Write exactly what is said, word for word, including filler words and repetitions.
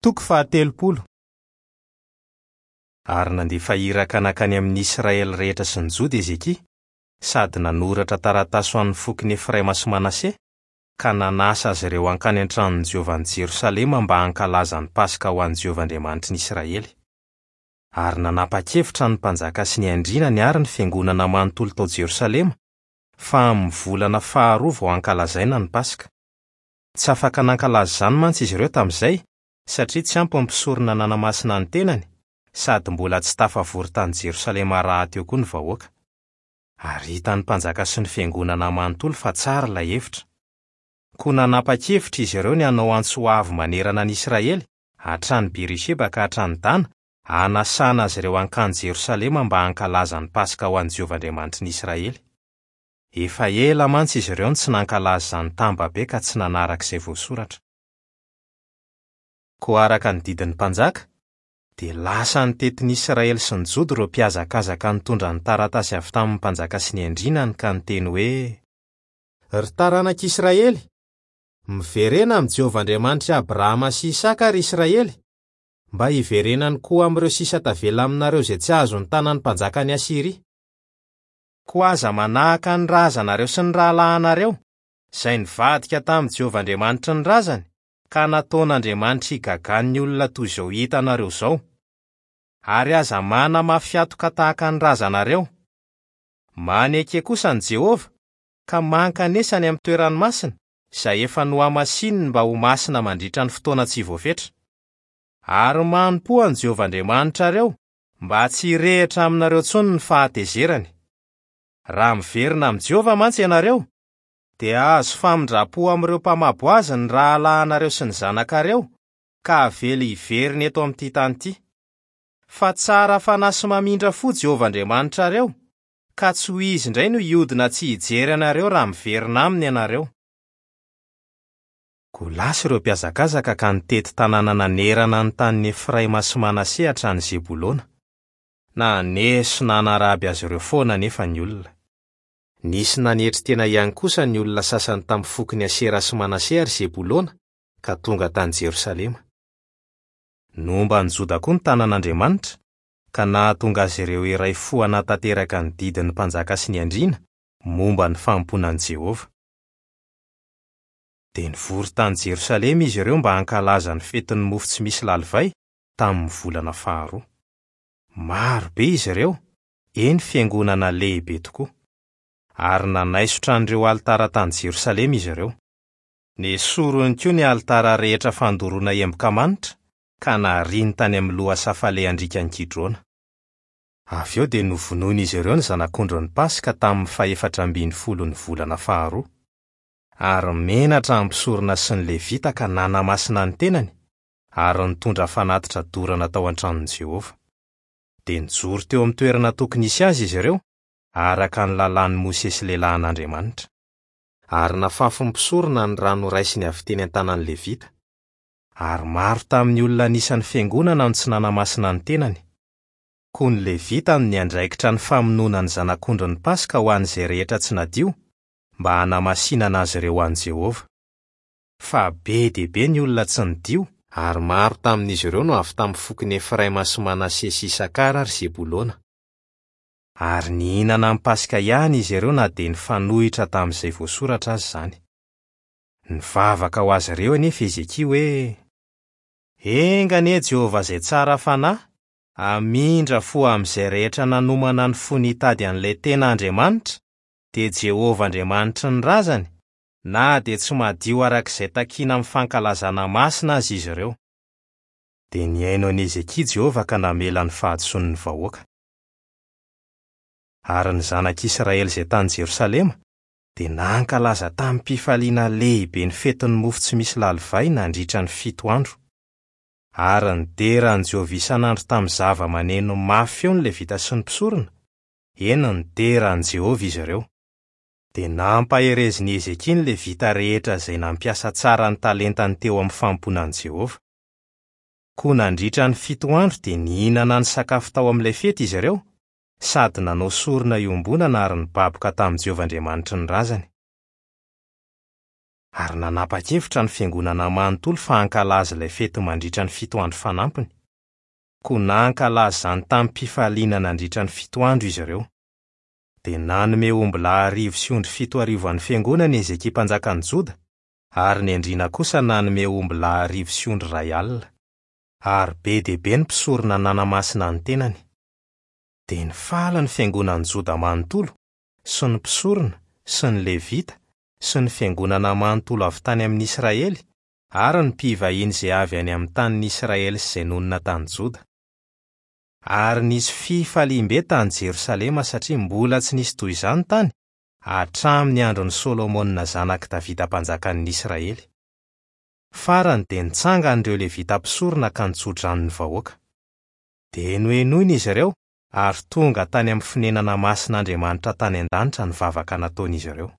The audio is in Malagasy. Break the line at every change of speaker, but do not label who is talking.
Toko fahatelopolo. Ary nandefa iraka nankany amin'ny Israely rehetra sy ny Joda Hezekia, sady nanoratra taratasy ho an'ny fokon'i Efraima sy Manase, ka nanasa azy ireo hankany an-tranon'i Jehovah any Jerosalema mba hankalaza ny Paska ho an'i Jehovah Andriamanitry ny Israely. Ary nanapa-kevitra ny mpanjaka sy ny andrianany ary ny fiangonana manontolo tao Jerosalema fa amin'ny volana faharoa vao hankalazaina ny Paska. Tsy afaka nankalaza izany mantsy izy ireo tamin'izay, satria tsy ampy ny mpisorona nanamasina ny tenany, sady mbola tsy tafavory tany Jerosalema rahateo koa ny vahoaka. Ary hitan'ny mpanjaka sy ny fiangonana manontolo fa tsara ilay hevitra. Koa nanapa-kevitra izy ireo ny hanao antso avo manerana an'i Israely, hatrany Berisheba ka hatrany Dana, hanasana azy ireo hankany Jerosalema mba hankalaza ny Paska ho an'i Jehovah Andriamanitry ny Israely. Efa ela mantsy izy ireo no tsy nankalaza izany tambabe ka tsy nanaraka izay voasoratra. Koa araka ny didin'ny mpanjaka, dia lasa nitety ny Israely sy ny Joda ireo mpihazakazaka nitondra ny taratasy avy tamin'ny mpanjaka sy ny andrianany ka niteny hoe: "Ry taranak'Israely, miverena amin'i Jehovah Andriamanitr'i Abrahama sy Isaka ry Israely, mba hiverenany koa amin'ireo sisa tavela aminareo izay tsy azon'ny tanan'ny mpanjakan'i Asyria. Koa aza manahaka ny razanareo sy ny rahalahinareo, izay nivadika tamin'i Jehovah Andriamanitry ny razany, ka nataon'Andriamanitra higagan'ny olona toy izao hitanareo izao. Ary aza manamafy hatoka tahaka ny razanareo. Maneke kosa an'i Jehovah, ka mankanesa any amin'ny toerany masina, izay efa nohamasininy mba ho masina mandritra ny fotoana tsy voafetra. Ary manompoa an'i Jehovah Andriamanitrareo, mba tsy hirehitra aminareo intsony ny fahatezerany. Raha miverina amin'i Jehovah mantsy ianareo, dia hahazo famindram-po amin'ireo mpamabo azy ny rahalahinareo sy ny zanakareo, ka avela hiverina eto amin'ity tany ity. Fa tsara fanahy sy mamindra fo Jehovah Andriamanitrareo, ka tsy ho izy indray no hiodina tsy hijery anareo raha miverina aminy ianareo." Koa lasa ireo mpihazakazaka ka nitety tanàna nanerana ny tanin'i Efraima sy Manase hatrany Zebolona. Naneso nanaraby azy ireo foana anefa ny olona. Nisy nanetry tena ihany kosa ny olona sasany tamin'ny fokon'i Asera sy Manase ary Zebolona, ka tonga tany Jerosalema. Nomba an'i Joda koa ny tanan'Andriamanitra, ka nahatonga azy ireo iray fo hanatanteraka ny didin'ny mpanjaka sy ny andriana momba ny fanompoana an'i Jehovah. Dia nivory tany Jerosalema izy ireo mba hankalaza ny fetin'ny mofo tsy misy lalivay tamin'ny volana faharoa. Maro be izy ireo, eny fiangonana lehibe tokoa. Ary nanaisotra an'ireo alitara tany Jerosalema izy ireo. Nesoriny koa ny alitara rehetra fandoroana emboka manitra, ka nariany tany amin'ny lohasaha falehan-driakan'i Kidrona. Avy eo dia novonoin'izy ireo ny zanak'ondrin'ny Paska tamin'ny fahefatra ambin'ny folon'ny volana faharoa. Ary menatra ny mpisorona sy ny Levita ka nanamasina ny tenany, ary nitondra fanatitra dorana tao an-tranon'i Jehovah. Dia nijoro teo amin'ny toerana tokony hisy azy izy ireo, araka ny lalàn'i Mosesy lehilahin'Andriamanitra. Ary nafafin'ny mpisorona ny rano raisiny avy teny an-tanan'ny Levita. Ary maro tamin'ny olona anisan'ny fiangonana no tsy nanamasina ny tenany. Koa ny Levita no niandraikitra ny famonoana ny zanak'ondrin'ny Paska ho an'izay rehetra tsy nadio, mba hanamasinana azy ireo ho an'i Jehovah. Fa be dia be ny olona tsy nidio, ary maro tamin'izy ireo no avy tamin'ny fokon'i Efraima sy Manase sy Isakara ary Zebolona. Ary nihinana ny Paska ihany izy ireo na dia nifanohitra tamin'izay voasoratra azy izany. Nivavaka ho azy ireo anefa Hezekia hoe: "Enga anie Jehovah izay tsara fanahy, hamindra fo amin'izay rehetra nanomana ny fony hitady an'ilay tena Andriamanitra, dia Jehovah Andriamanitry ny razany, na dia tsy madio araka izay takiana amin'ny fankalazana masina azy izy ireo." Dia nihaino an'i Hezekia Jehovah ka namela ny fahadisoan'ny vahoaka. Ary ny zanak'Israely izay tany Jerosalema dia nankalaza tamim-pifaliana lehibe ny fetin'ny mofo tsy misy lalivay nandritra ny fito andro. Ary nidera an'i Jehovah isan'andro tamin'ny zava-maneno mafy feo ny Levita sy ny mpisorona, eny nidera an'i Jehovah izy ireo. Dia nampaherezin'i Hezekia ny Levita rehetra izay nampiasa tsara ny talentany teo amin'ny fanompoana an'i Jehovah. Koa nandritra ny fito andro dia nihinana ny sakafo tao amin'ilay fety izy ireo, sady nanao sorona iombonana ary nibaboka tamin'i Jehovah Andriamanitry ny razany. Ary nanapa-kevitra ny fiangonana manontolo fa hankalaza ilay fety mandritra ny fito andro fanampiny. Koa nankalaza izany tamim-pifaliana nandritra ny fito andro izy ireo. Dia nanome ombilahy arivo sy ondry fito arivo an'ny fiangonana Hezekia mpanjakan'ny Joda, ary ny andriana kosa nanome ombilahy arivo sy ondry iray alina. Ary be dia be ny mpisorona nanamasina ny tenany. Dia nifaly ny fiangonan'ny Joda manontolo, sy ny mpisorona, sy ny levita, sy ny fiangonana manontolo avy tany amin'ny Israely, ary ny mpivahiny izay avy any amin'ny tanin'ny Israely sy izay nonina tany Joda. Ary nisy fifaliam-be tany Jerosalema satria mbola tsy nisy toy izany tany hatramin'ny andron'i Solomona zanak'i Davida mpanjakan'ny Israely. Farany dia nitsangana ireo levita mpisorona ka nitsodrano ny vahoaka. Dia nohenoina izy ireo ary tonga tany amin'ny fonenana masin'Andriamanitra tany an-danitra ny vavaka nataon'izy ireo.